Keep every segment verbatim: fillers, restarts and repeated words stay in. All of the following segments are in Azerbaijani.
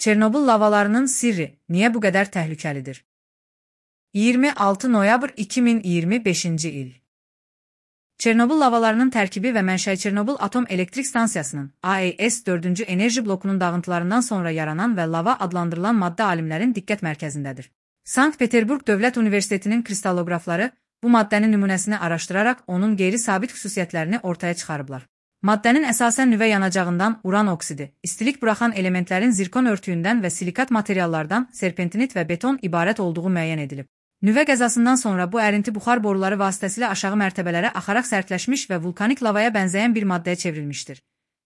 Çernobıl lavalarının sirri niye bu kadar tehlikelidir? iyirmi altı noyabr iki min iyirmi beşinci il. Çernobıl lavalarının tərkibi və mənşəyi Çernobıl Atom Elektrik Stansiyasının A E S dördüncü enerji blokunun dağıntılarından sonra yaranan və lava adlandırılan maddə alimlərin diqqət mərkəzindədir. Sankt-Peterburg Dövlət Universitetinin kristalloqrafları bu maddənin nümunəsini araşdıraraq onun qeyri-sabit xüsusiyyətlərini ortaya çıxarıblar. Maddənin əsasən nüvə yanacağından uran oksidi, istilik buraxan elementlərin zirkon örtüyündən və silikat materiallardan serpentinit və beton ibarət olduğu müəyyən edilib. Nüvə qəzasından sonra bu ərinti buxar boruları vasitəsilə aşağı mərtəbələrə axaraq sərtləşmiş və vulkanik lavaya bənzəyən bir maddəyə çevrilmişdir.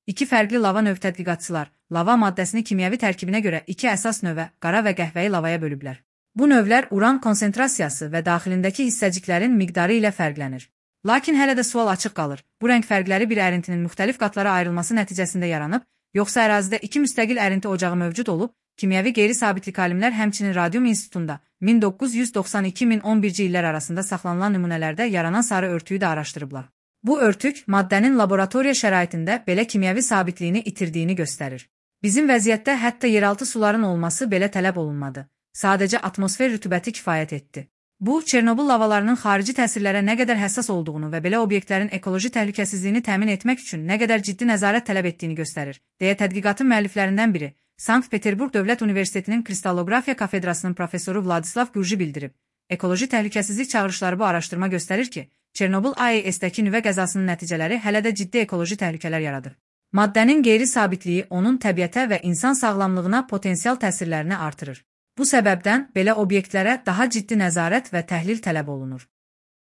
İki fərqli lava növ tədqiqatçılar lava maddəsini kimyəvi tərkibinə görə iki əsas növə, qara və qəhvəyi lavaya bölüblər. Bu növlər uran konsentrasiyası və daxilindəki hissəciklərin miqdarı ilə fərqlənir. Lakin hələ də sual açıq qalır. Bu rəng fərqləri bir ərintinin müxtəlif qatlara ayrılması nəticəsində yaranıb, yoxsa ərazidə iki müstəqil ərinti ocağı mövcud olub, kimyəvi qeyri-sabitlik alimlər həmçinin Radium İnstitutunda min doqquz yüz doxsan iki min on birinci illər arasında saxlanılan nümunələrdə yaranan sarı örtüyü də araşdırıblar. Bu örtük maddənin laboratoriya şəraitində belə kimyəvi sabitliyini itirdiyini göstərir. Bizim vəziyyətdə hətta yeraltı suların olması belə tələb olunmadı. Sadəcə atmosfer rütubəti kifayət etdi. Bu, Çernobıl lavalarının xarici təsirlərə nə qədər həssas olduğunu və belə obyektlərin ekoloji təhlükəsizliyini təmin etmək üçün nə qədər ciddi nəzarət tələb etdiyini göstərir, deyə tədqiqatın müəlliflərindən biri, Sankt-Peterburg Dövlət Universitetinin Kristallografiya kafedrasının professoru Vladislav Gurji bildirib. Ekoloji təhlükəsizlik çağırışları bu araşdırma göstərir ki, Çernobıl A E S-dəki nüvə qəzasının nəticələri hələ də ciddi ekoloji təhlükələr yaradır. Maddənin qeyri-sabitliyyi onun təbiətə və insan sağlamlığına potensial təsirlərini artırır. Bu səbəbdən belə obyektlərə daha ciddi nəzarət və təhlil tələb olunur.